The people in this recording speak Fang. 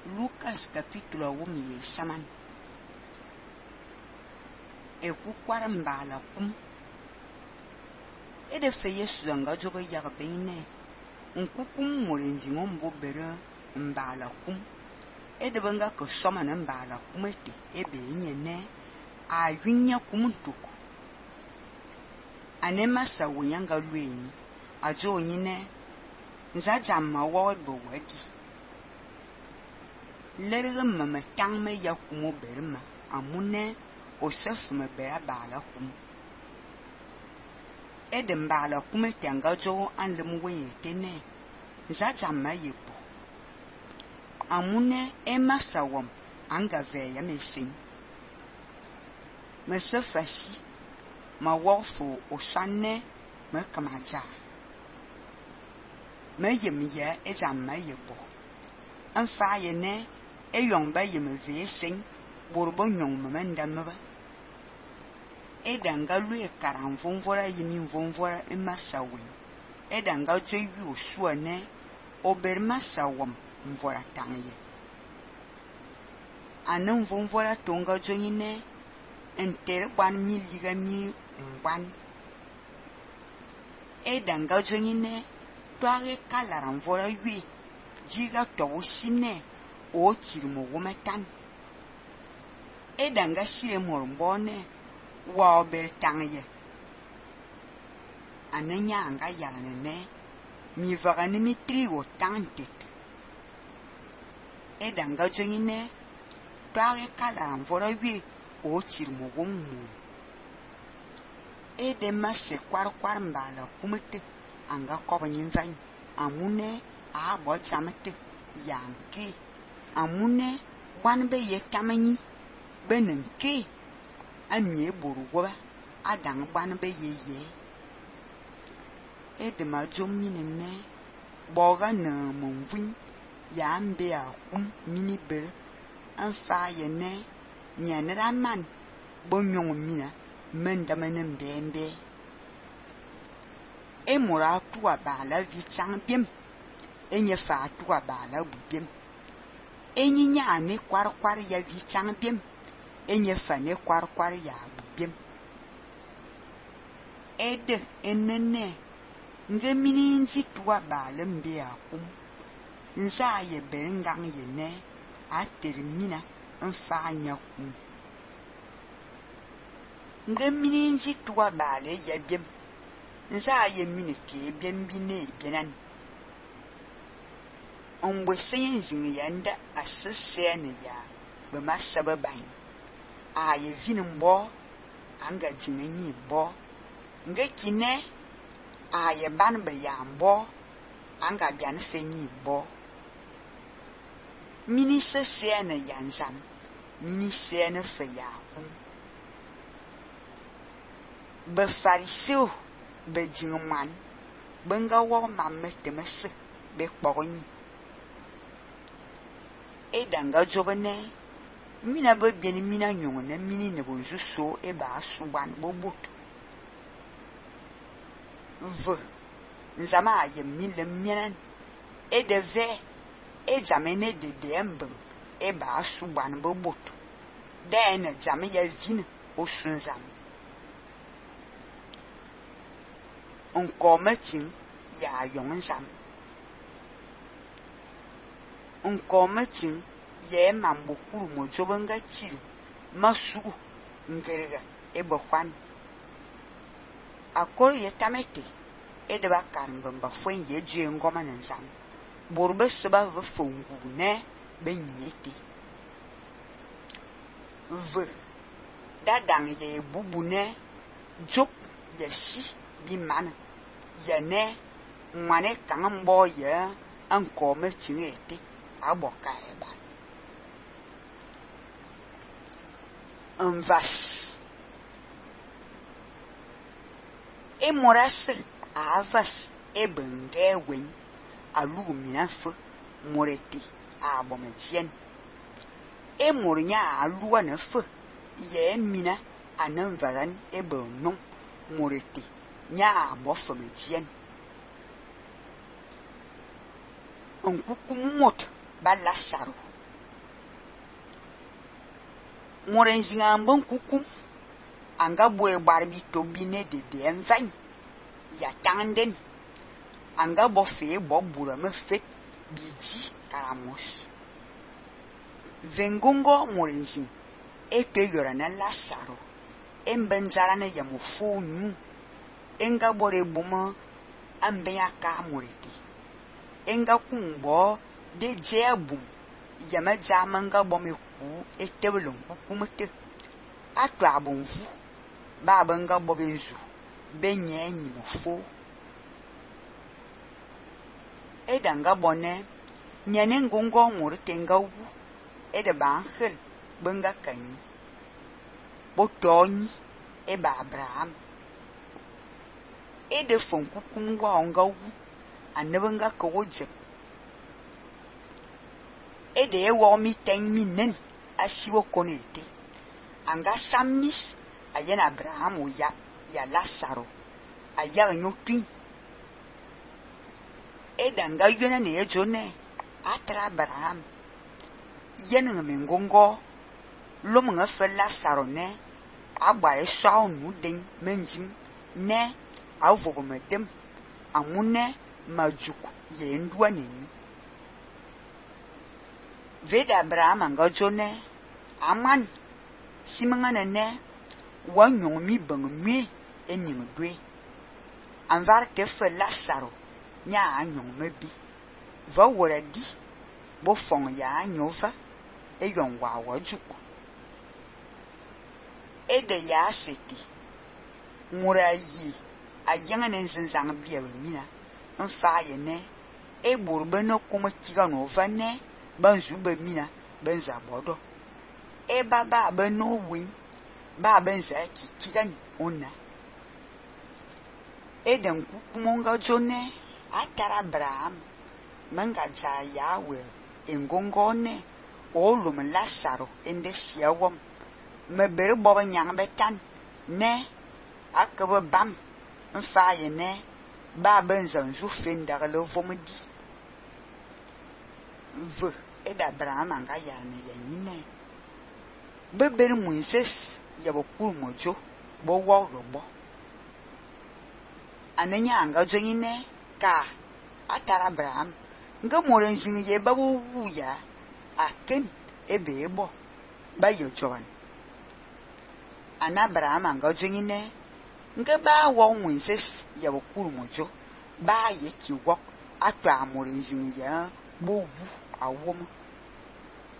Lucas capítulo 1 saman. Ekukwar mbala kum. Ede fe Yesu zanga jogo yagbene. Nkukum murenzi ngombo bere mbala kum. Ede banga ko soma na mbala kum ete ebe nyene ayunya kumuntuku. Anema sa wonyanga lweni ajo nyine nzajama wawe bowadi. Lerge mama tangme ya kumo berma amune osef me bera bala kum. Ede mbala kum ete anga jo anlem wenye tene nzajama yepo. Amune ema sawam anga veya mesin. Mese fasi ma wofu osane me kamaja. Me yemye ezama yebo. Anfa yene eyong ba yeme vesing borbo nyong memenda meba. Edanga lue karan vonvora yimi vonvora emasawen. Edanga joyu osuane oberma sawam mvora tangye. Anan vonvora tonga jonyine entere ban mi liga mi ngwan. Edanga jonyine toare kalaran vora yue jiga towo sine o tirmo wometan. Edanga sire morbone wa ober tangye. Ananya anga yalane mi vagani mi trigo tantet. Edanga jonyine toare kalaran vora yue o tirmo womu. Edema se kwar mbala kumete anga koba nyinzany. Amune a bo jamete yanke. Amune wanbe ye tamanyi benenke. Amye borugoba adang banbe ye. Edema jomine ne boga na monvin yambe akum mini bere anfa ye ne nyanera man bonyong mina mendamanen bembe. Emura tuwa bala vichang biem. Enye fa tuwa bala bubiem. Enyi nyane kwar ya vichang biem. Enye fa ne kwar ya bubiem. Ede enene nge mini nzi tuwa bala mbe akum. Nza ye berengang ye ne a termina nfa nyakum. Nge mini nzi tuwa bala ya biem. Nza ye mini ke bine binan. Onwe senye zing yanda asesene ya bema sababain. A ye vinumbo anga jinenyi bo. Nge kine a ye banbe yambo anga bian fenyi bo. Mini sesene yanzam. Mini sene fe yakum. Be fariseo be jingman benga wo mamme temese be kpogonyi. Edanga jobene mina be bieni mina nyongone mini ne bonju so e ba suban bobut. V nzama aye mile mienen edeve ejamene de dembe e ba suban bobut. Den jame ya vine osunzam. Onkometin ya yongzam. Onkometin ye mambukuru mojobenga chiri masu ngerega ebokwan. Akor ye tamete edeba karmbamba fwen ye jue ngoma nzam. Borbe seba ve fongu ne benyete. V dadang ye bubune jok ye si bi mana. Yene mwane kangambo ye ankome chingete aboka eba. Vas emorase avas ebenge wen alugu minafu moreti abomejien. Emornya aluwa nefu ye mina ananvaran ebonon moreti nya abofomejien. Onkukumot ba Lazaro moren zinga mbon kukum anga boe barbi to bine de envain ya tanden anga bo fe bo bura me fet biji karamos vengongo moren zin e pe yora na Lasaro embenzara na ya mufunu enga bore buma ambe aka moriti enga kumbo de jebum yama jamanga bomeku etebulun kukumete atu abonvu babanga bobenzu benyenyi mufo edanga bone nyane ngongo moritenga wu ede banhel benga kanyi botonyi eba Abraham ede fon kukum wa onga wu anebanga ko jep ede ewo mi ten minen asiwo konete anga samis ayena Abraham o ya Lasaro aya nyotwin edanga yona ne ejone atra Abraham yena mengongo lomunga fe Lasaro ne agbare shaunu den menjim ne avobo medem amune majuk ye ndwa neni veda Abraham anga jone aman simanga ne wanyo mi bang mi enyim dwe anvar te fe Lasaro nya anyo mebi va wora di bo fong ya anyova eyon wa wajuku ede ya seti murayi ayanga ne nzanzang biya mina mfa ye ne e burbe no kuma kiga no va ne banzu be mina benza bodo e baba be no win ba benza kiga ni ona eden kukumonga jone atara Abraham manga ja yawe engongone olum Lasaro ende siawom mebere boba nyang betan ne akaba bam mfa ye ne ba benza zu fenda le vomdi ve eda Abraham anga ya ne yenine bebere Moses ya bokuru mojo bo wo robo anenya anga jonyine ka atara Abraham nga moren zin ye babu wuya aken ebe ebo ba yo jowan ana Abraham anga jonyine nga ba wo Moses ya bokuru mojo ba ye ki wok atwa moren zin ya bo wu awom